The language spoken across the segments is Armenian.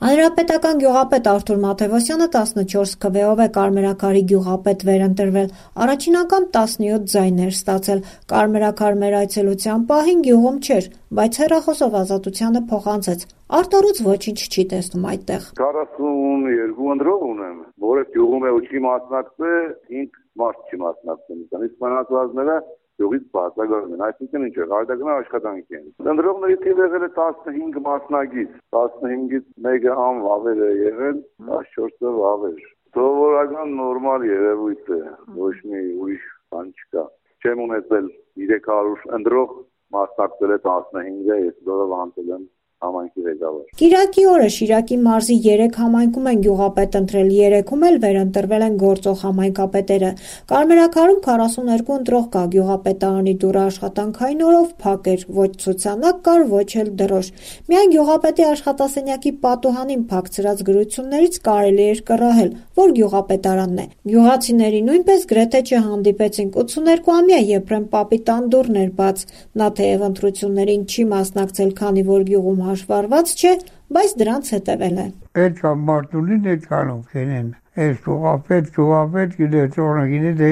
Հանրապետական գյուղապետ Արթուր Մաթևոսյանը 14 քվեով է Կարմերաքարի գյուղապետ վերընտրվել, առաջին անգամ 17 ձայներ ստացել, Կարմերաքար մեր այցելության պահին գյուղում չէր, բայց հեռախոսով Ազատությանը փոխանցեց, Արտորուց ոչինչ չի տեսնում այդտեղ։ 42 ընտրող ունեմ, որը գյուղում է ու չի մասնակցել, 5 մարդ չի մասնակցել, իսկ մնացածները գյուղից բացակայում են, այսինքն ինչ է, հայտագնա աշխատանք են։ Ընտրողների թիվը եղել է 15 մասնակից, 15-ից մեկը անվավեր է եղել, 14-ը վավեր։ Սովորական նորմալ երևույթ է, ոչ մի ուրիշ բան չկա։ Չեմ ունեցել 300 ընտրող, մասնակցել է 15-ը, ես դուրս անցել եմ համայնքի ղեկավար։ Կիրակի օրը Շիրակի մարզի 3 համայնքում են գյուղապետ ընտրել, 3-ում էլ վերընտրվել են գործող համայնքապետերը։ Կարմերաքարում 42 ընտրող կա, գյուղապետարանի դուռը աշխատանքային օրով փակ էր, ոչ ցուցանակ կար, ոչ էլ դրոշ։ Միայն գյուղապետի աշխատասենյակի պատուհանին փակցրած գրություններից կարելի էր կռահել, որ գյուղապետարանն է։ Գյուղացիների նույնպես գրեթե չհանդիպեցինք, 82-ամյա Եփրեմ պապի տան դուռն էր բաց։ Նա թեև ընտրություններին չի մասնակցել, քանի որ գյուղում հաշվառված չէ, բայց դրանց հետևել է։ Այդ մարդունին այդ կանոն կենեն, այս գյուղապետ գիտեց օրը գիտե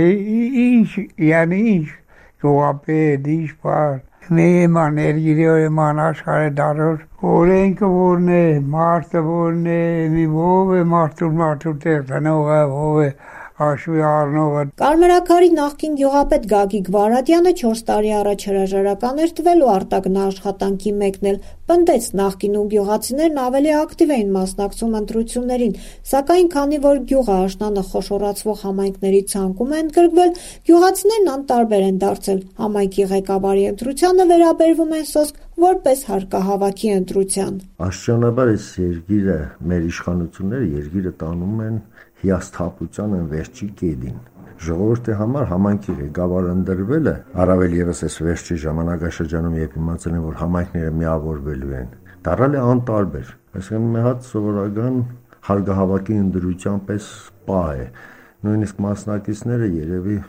ինչ, yani ինչ գյուղապետ, ինչ բան, մեման երգիրեման աշխարհը դարոր, օրենքը որն է, մարդը որն է, մի ով է մարդու տեղ տնողը, ով է Աշվի առնողը։ Կարմերաքարի նախկին գյուղապետ Գագիկ Վարադյանը 4 տարի առաջ հրաժարական էր տվել ու արտագնա աշխատանքի մեկնել, պնդեց նախկինում գյուղացիներն ավելի ակտիվ էին մասնակցում ընտրություններին, սակայն քանի որ գյուղը աշնանը խոշորացվող համայնքների ցանկում է ընդգրկվել, գյուղացիներն անտարբեր են դարձել, համայնքի ղեկավարի ընտրությանը վերաբերվում են սոսկ որպես հարկահավաքի ընտրության։ Աստիճանաբար այս երկիրը, մեր իշխանությունները երկիրը տանում են հիասթափության են վերջի կետին։ Ժողովրդի համար համայնքի ղեկավար ընտրվելը, առավել ևս այս վերջի ժամանակաշրջանում, երբ իմացել են, որ համայնքները միավորվելու են, դառել է անտարբեր։ Այսինքն մի հատ սովորական հարկահավաքի ընտրության պես պահ է։ Նույնիսկ մասնակիցները երևի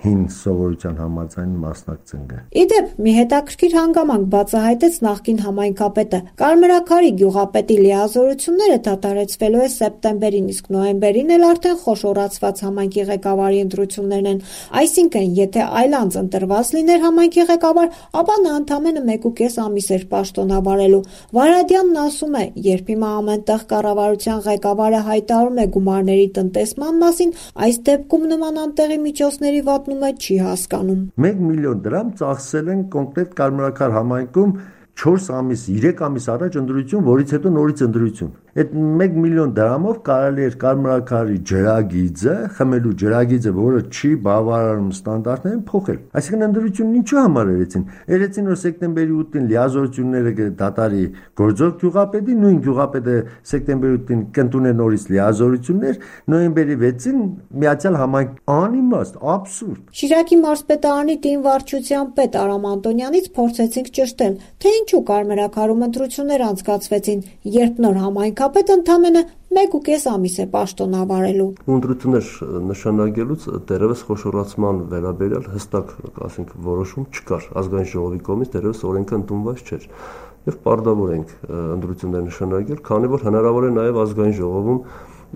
հին սովորության համաձայն մասնակցեն։ Իդեպ մի հետաքրքիր հանգամանք բացահայտեց նախկին համայնքապետը։ Կարմերաքարի գյուղապետի լիազորությունները դադարեցվելու է սեպտեմբերին, իսկ նոյեմբերին էլ արդեն խոշորացված համայնքի ղեկավարի ընտրություններն են։ Այսինքն, եթե այլանց ընտրված լիներ համայնքի ղեկավար, ապա նա ընդամենը 1.5 ամիս էր պաշտոնավարելու։ Վարադյանն ասում է, երբ հիմա ամենտեղ կառավարության ղեկավարը հայտարարում է գումարների տնտեսման մասին, այս դեպքում նման անտեղի միջոցների վատնումը չի հասկանում։ 1 միլիոն դրամ ծախսել են կոնկրետ Կարմերաքար համայնքում 4 ամիս, 3 ամիս առաջ ընտրություն, որից հետո նորից ընտրություն։ Այդ 1 միլիոն դրամով կարելի էր Կարմերաքարի ջրագիծը, խմելու ջրագիծը, որը չի բավարարում ստանդարտներին, փոխել։ Այսինքն ընտրությունն ինչու համար երեցին։ Երեցին որ սեպտեմբերի 8-ին լիազորությունները դատարի գործող գյուղապետի, նույն գյուղապետը սեպտեմբերի 8-ին կընտրե նորից լիազորություններ, նոյեմբերի 6-ին միացյալ համայնք անիմաստ, աբսուրդ։ Շիրակի մարզպետարանի տին վարչության պետ Արամ Անտոնյանից փորձեցինք ճշտել, թե ինչու Կարմերաքարում ընտրություններ անցկացվեցին, երբ նոր համայնքապետ ընդամենը 1.5 ամիս է պաշտոնավարելու։ Ընտրություններ նշանակելուց դեռևս խոշորացման վերաբերյալ հստակ, ասենք, որոշում չկար։ Ազգային ժողովի կողմից դեռևս օրենքը ընդունված չէր։ Եվ պարտավոր ենք ընտրություններ նշանակել, քանի որ հնարավոր է նաև ազգային ժողովում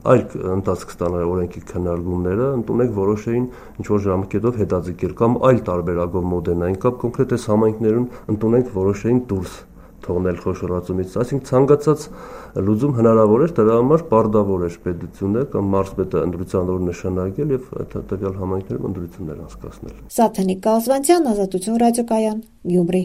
այլ ընթացք ստանալ օրենքի քննարկումները, ընդունենք որոշեին ինչ-որ ժամկետով հետաձգել կամ այլ տարբերակով մոդենային կամ կոնկրետ այս համայնքներում ընդունենք որոշեին դուրս թողնել խոշորացումից, այսինքն ցանկացած լուծում հնարավոր էր, դրա համար պարտավոր էր պետությունը կամ մարզպետը ընտրության օր նշանակել եւ տվյալ համայնքներում ընտրություններ անցկացնել։ Սաթենիկ Կազվանցյան, Ազատություն ռադիոկայան, Գյումրի։